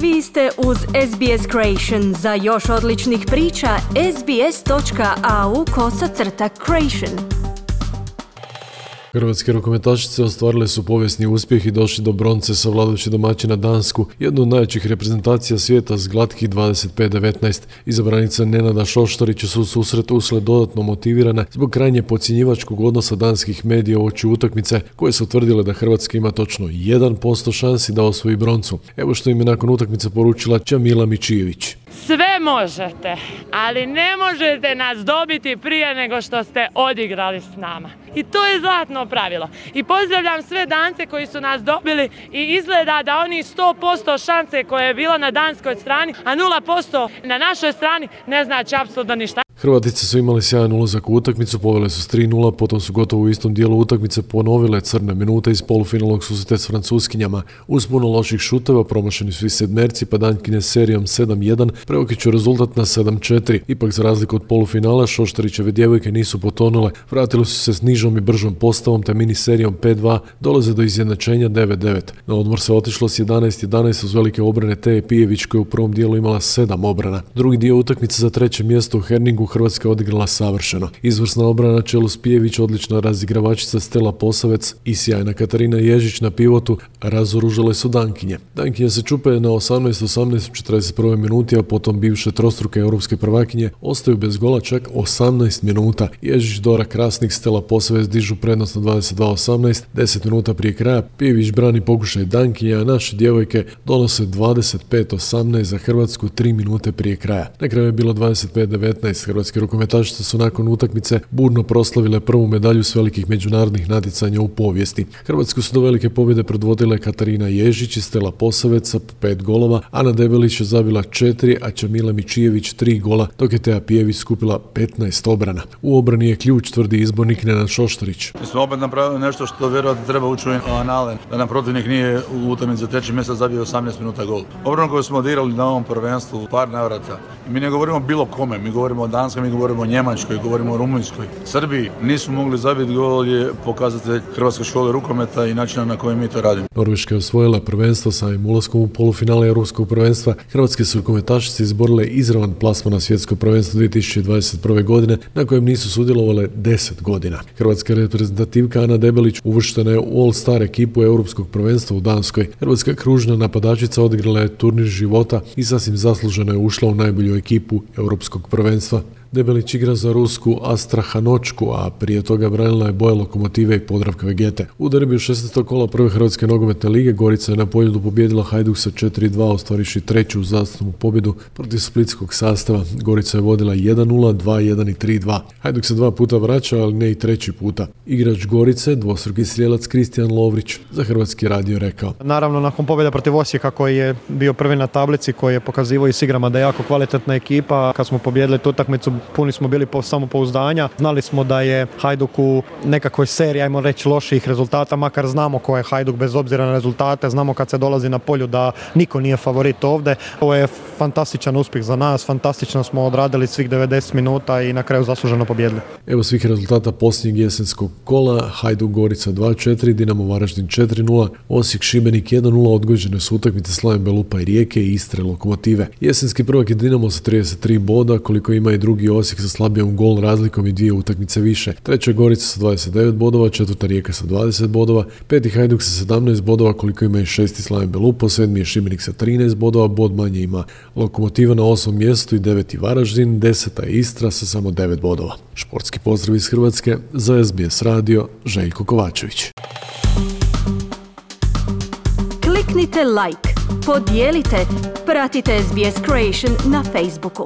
Vi ste uz SBS Creation. Za još odličnih priča, sbs.au/creation. Hrvatske rukometašice ostvarile su povijesni uspjeh i došli do bronce savladajući domaćina Dansku, jednu od najjačih reprezentacija svijeta s glatkih 25-19. Izabranica Nenada Šoštarića su susret ušle dodatno motivirane zbog krajnje podcjenjivačkog odnosa danskih medija uoči utakmice, koje su tvrdile da Hrvatska ima točno 1% šansi da osvoji broncu. Evo što im je nakon utakmice poručila Čamila Mičijević. Sve možete, ali ne možete nas dobiti prije nego što ste odigrali s nama. I to je zlatno pravilo. I pozdravljam sve Dance koji su nas dobili i izgleda da oni 100% šanse koje je bilo na danskoj strani, a 0% na našoj strani ne znači apsolutno ništa. Hrvatice su imali sjajan ulazak u utakmicu, povele su s 3:0, potom su gotovo u istom dijelu utakmice ponovile crne minute iz polufinalnog susreta s Francuskinjama. Uz puno loših šuteva promašeni su i sedmerci, pa Dankinje s serijom 7:1 preokreću rezultat na 7:4. Ipak za razliku od polufinala, Šoštarićeve djevojke nisu potonule, vratile su se s nižom i bržom postavom te mini serijom 5:2 dolaze do izjednačenja 9:9. Na odmor se otišlo s 11:11 uz velike obrane Teje Pijević koja je u prvom dijelu imala 7 obrana. Drugi dio utakmice za treće mjesto u Herningu Hrvatska odigrala savršeno. Izvrsna obrana na čelu s Pijević, odlična razigravačica Stela Posavec i sjajna Katarina Ježić na pivotu razoružale su Dankinje. Dankinje se čupe na 18:18 u 41. minuti, a potom bivše trostruke europske prvakinje ostaju bez gola čak 18 minuta. Ježić, Dora Krasnik, Stela Posavec dižu prednost na 22:18, 10 minuta prije kraja Pijević brani pokušaj Dankinje, a naše djevojke donose 25:18 za Hrvatsku 3 minute prije kraja. Na kraju je bilo 25:19. Hrvatske rukometašice su nakon utakmice burno proslavile prvu medalju s velikih međunarodnih natjecanja u povijesti. Hrvatsku su do velike pobjede predvodile Katarina Ježić i Stela Posavec sa 5 golova, Ana Debelić je zabila 4, a Čamila Mičijević 3 gola, dok je Teja Pijević skupila 15 obrana. U obrani je ključ, tvrdi izbornik Nenad Šoštarić. Mi smo opet napravili nešto što vjerojatno treba ući u anale, da nam protivnik nije u utakmici za treći mjesec zabio 18 minuta gol. Obranu koju smo odigrali na ovom prvenstvu u par navrata. I mi ne govorimo bilo kome, mi govorimo o Danskoj, mi govorimo o Njemačkoj, govorimo o Rumunjskoj. Srbiji nismo mogli zabiti gol, je pokazatelj Hrvatske škole rukometa i načina na koji mi to radimo. Norveška je osvojila prvenstvo samim ulaskom u polufinale europskog prvenstva. Hrvatske su rukometašice izborile izravan plasman na svjetsko prvenstvo 2021. godine, na kojem nisu sudjelovale 10 godina. Hrvatska reprezentativka Ana Debelić uvrštena je u All-Star ekipu europskog prvenstva u Danskoj. Hrvatska kružna napadačica odigrala je turnir života i sasvim zasluženo je ušla u najbolju ekipu europskog prvenstva. Debelić igra za rusku Astrahanočku, a prije toga branila je boje Lokomotive i Podravka Vegete. U derbiju 16. kola prve Hrvatske nogometne lige Gorica je na Poljudu pobijedila Hajduk sa 4:2, ostvariši treću uzastopnu pobjedu protiv splitskog sastava. Gorica je vodila 1:0, 2:1 i 3:2. Hajduk se 2 puta vraća, ali ne i treći puta. Igrač Gorice, dvostruki strijelac Kristijan Lovrić, za Hrvatski radio rekao: Naravno, nakon pobjede protiv Osijeka koji je bio prvi na tablici, koji je pokazivao i s igrama da je jako kvalitetna ekipa, kad smo pobijedili tu utakmicu puni smo bili samopouzdanja. Znali smo da je Hajduk u nekakvoj seriji, ajmo reći, loših rezultata, makar znamo ko je Hajduk bez obzira na rezultate, znamo kad se dolazi na polju da niko nije favorit ovdje. Ovo je fantastičan uspjeh za nas, fantastično smo odradili svih 90 minuta i na kraju zasluženo pobijedili. Evo svih rezultata posljednjeg jesenskog kola: Hajduk Gorica 2:4, Dinamo Varaždin 4:0, Osijek Šibenik 1:0, odgođene su utakmice Slaven Belupa i Rijeke i Istre Lokomotive. Jesenski prvak je Dinamo sa 33 boda, koliko ima i drugi Osijek sa slabijom gol razlikom i 2 utakmice više. Treća Gorica sa 29 bodova, četvrta Rijeka sa 20 bodova, peti Hajduk sa 17 bodova, koliko ima i šesti Slaven Belupo, sedmi je Šibenik sa 13 bodova, bod manje ima Lokomotiva na 8. mjestu i 9. Varaždin, 10. je Istra sa samo 9 bodova. Športski pozdrav iz Hrvatske, za SBS radio, Željko Kovačević. Kliknite like, podijelite, pratite SBS Creation na Facebooku.